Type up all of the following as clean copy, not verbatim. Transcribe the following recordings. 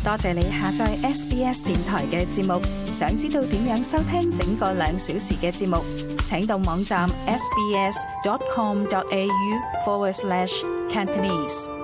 多謝你下載 SBS 電台嘅節目。想知道點樣收聽整個2小時嘅節目，請到網站 sbs.com.au/Cantonese。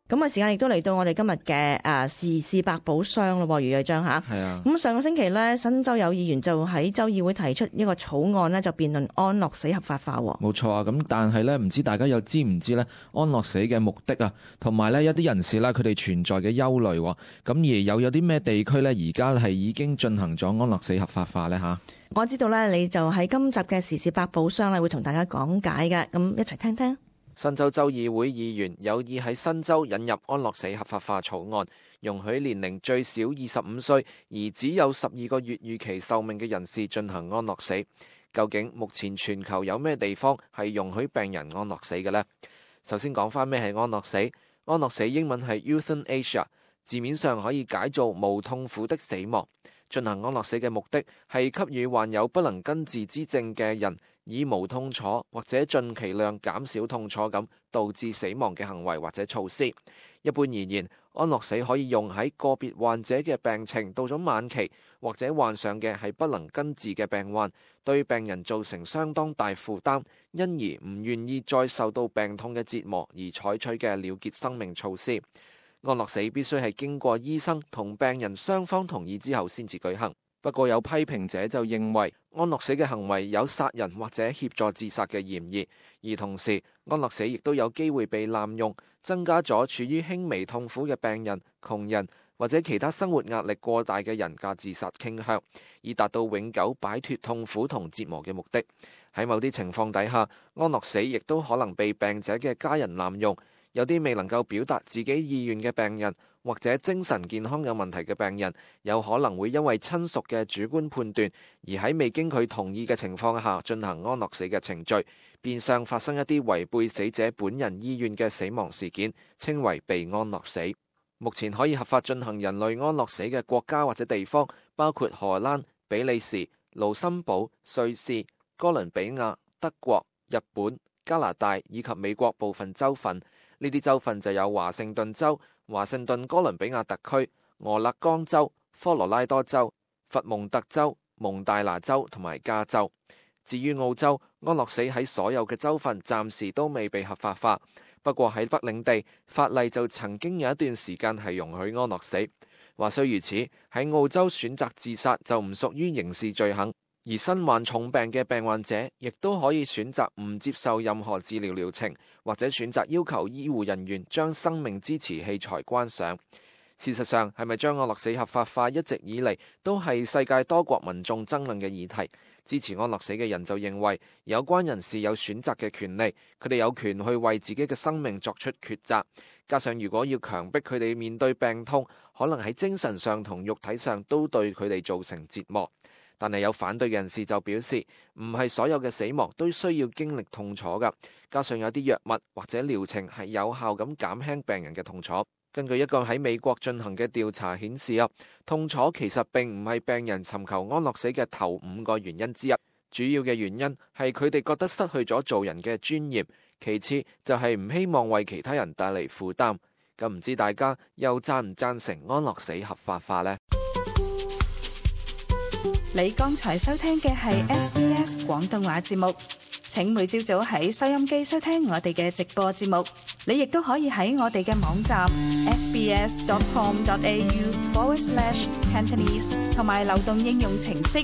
咁啊，時間亦都嚟到我哋今日嘅時事百寶箱咯，余瑞章嚇。係啊。咁上個星期咧，新州有議員就喺州議會提出一個草案呢，就辯論安樂死合法化。冇錯啊。咁但係咧，唔知大家又知唔知咧安樂死嘅目的啊，同埋咧一啲人士咧佢哋存在嘅憂慮。咁而有啲咩地區咧而家係已經進行咗安樂死合法化咧嚇？我知道咧，你就喺今集嘅時事百寶箱咧會同大家講解嘅，咁一齊聽聽。新州州議會議員有意喺新州引入安樂死合法化草案，容許年齡最少25歲而只有12個月預期壽命嘅人士進行安樂死。究竟目前全球有咩地方係容許病人安樂死嘅呢？首先講返咩係安樂死。安樂死英文係 euthanasia， 字面上可以解做無痛苦的死亡。進行安樂死嘅目的係給予患有不能根治之症嘅人以無痛楚或者盡其量減少痛楚咁導致死亡嘅行為或者措施。一般而言，安樂死可以用喺個別患者嘅病情到咗晚期，或者患上嘅係不能根治嘅病患，對病人造成相當大負擔，因而唔願意再受到病痛嘅折磨而採取嘅了結生命措施。安樂死必須係經過醫生同病人雙方同意之後先至舉行。不過有批評者就認為安樂死嘅行為有殺人或者協助自殺嘅嫌疑，而同時安樂死亦都有機會被濫用，增加咗處於輕微痛苦嘅病人、窮人或者其他生活壓力過大嘅人嘅自殺傾向，以達到永久擺脫痛苦同折磨嘅目的。喺某啲情況底下，安樂死亦都可能被病者嘅家人濫用。有啲未能夠表達自己意願嘅病人，或者精神健康有問題嘅病人，有可能會因為親屬嘅主觀判斷，而喺未經佢同意嘅情況下進行安樂死嘅程序，變相發生一啲違背死者本人意願嘅死亡事件，稱為被安樂死。目前可以合法進行人類安樂死嘅國家或者地方，包括荷蘭、比利時、盧森堡、瑞士、哥倫比亞、德國、日本、加拿大以及美國部分州份。呢啲州份就有華盛頓州、華盛頓哥倫比亞特區、俄勒岡州、科羅拉多州、佛蒙特州、蒙大拿州同埋加州。至於澳洲，安樂死喺所有嘅州份暫時都未被合法化。不過喺北領地，法例就曾經有一段時間係容許安樂死。話雖如此，喺澳洲選擇自殺就唔屬於刑事罪行。而身患重病嘅病患者亦都可以選擇唔接受任何治療療程，或者選擇要求醫護人員將生命支持器材關上。事實上，係咪將安樂死合法化一直以嚟都係世界多國民眾爭論嘅議題。支持安樂死嘅人就認為，有關人士有選擇嘅權利，佢哋有權去為自己嘅生命作出抉擇。加上如果要強迫佢哋面對病痛，可能喺精神上同肉體上都對佢哋造成折磨。但係有反對人士就表示，唔係所有嘅死亡都需要經歷痛楚㗎。加上有啲藥物或者療程係有效咁減輕病人嘅痛楚。根據一個喺美國進行嘅調查顯示啊，痛楚其實並唔係病人尋求安樂死嘅頭5個原因之一。主要嘅原因係佢哋覺得失去咗做人嘅尊嚴，其次就係唔希望為其他人帶嚟負擔。咁唔知大家又贊唔贊成安樂死合法化呢？你剛才收聽嘅係 SBS 廣東話節目，請每朝早喺收音機收聽我哋嘅直播節目。你亦都可以喺我哋嘅網站 sbs.com.au/Cantonese 同埋流動應用程式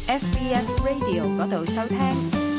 SBS Radio 嗰度收聽。